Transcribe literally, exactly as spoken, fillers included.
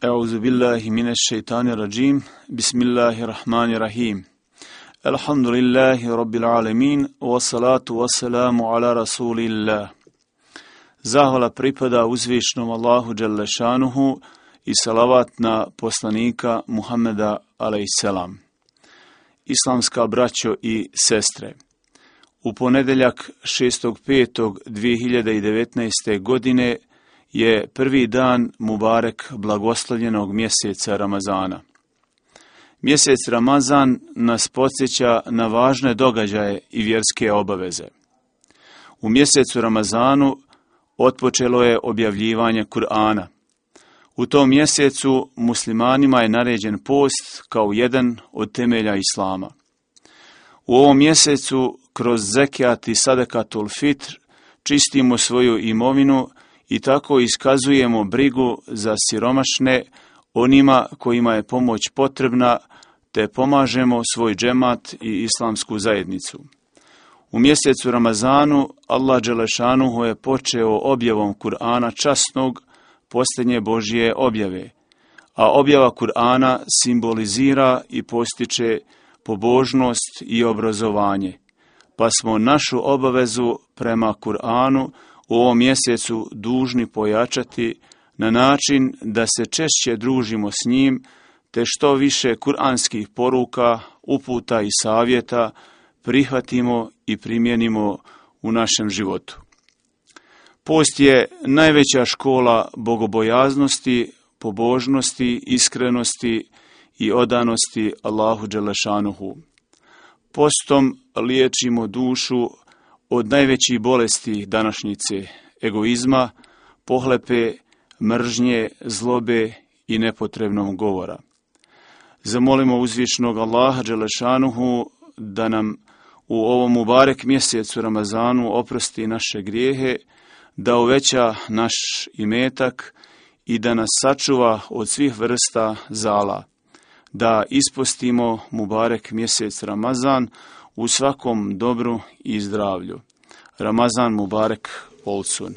Euzu billahi mineşşeytanirracim. Bismillahirrahmanirrahim. Elhamdülillahi rabbil alamin. Ve salatu ve selamu ala rasulillah. Zahvala pripada uzvišnom Allahu dželle šanuhu i salavat na poslanika Muhameda alejselam. Islamska braćo i sestre, u ponedeljak šestog petog dvije hiljade devetnaeste. godine je prvi dan Mubarek blagoslovljenog mjeseca Ramazana. Mjesec Ramazan nas podsjeća na važne događaje i vjerske obaveze. U mjesecu Ramazanu otpočelo je objavljivanje Kur'ana. U tom mjesecu muslimanima je naređen post kao jedan od temelja Islama. U ovom mjesecu kroz zekijat i sadakatul fitr čistimo svoju imovinu i tako iskazujemo brigu za siromašne, onima kojima je pomoć potrebna, te pomažemo svoj džemat i islamsku zajednicu. U mjesecu Ramazanu Allah dželešanuhu je počeo objavom Kur'ana časnog, posljednje Božje objave, a objava Kur'ana simbolizira i postiče pobožnost i obrazovanje, pa smo našu obavezu prema Kur'anu u ovom mjesecu dužni pojačati na način da se češće družimo s njim, te što više kuranskih poruka, uputa i savjeta prihvatimo i primijenimo u našem životu. Post je najveća škola bogobojaznosti, pobožnosti, iskrenosti i odanosti Allahu dželešanuhu. Postom liječimo dušu od najvećih bolesti današnjice, egoizma, pohlepe, mržnje, zlobe i nepotrebnog govora. Zamolimo uzvišnog Allaha dželešanuhu da nam u ovom Mubarek mjesecu Ramazanu oprosti naše grijehe, da uveća naš imetak i da nas sačuva od svih vrsta zala, da ispostimo Mubarek mjesec Ramazan u svakom dobru i zdravlju. Ramazan Mubarek olsun.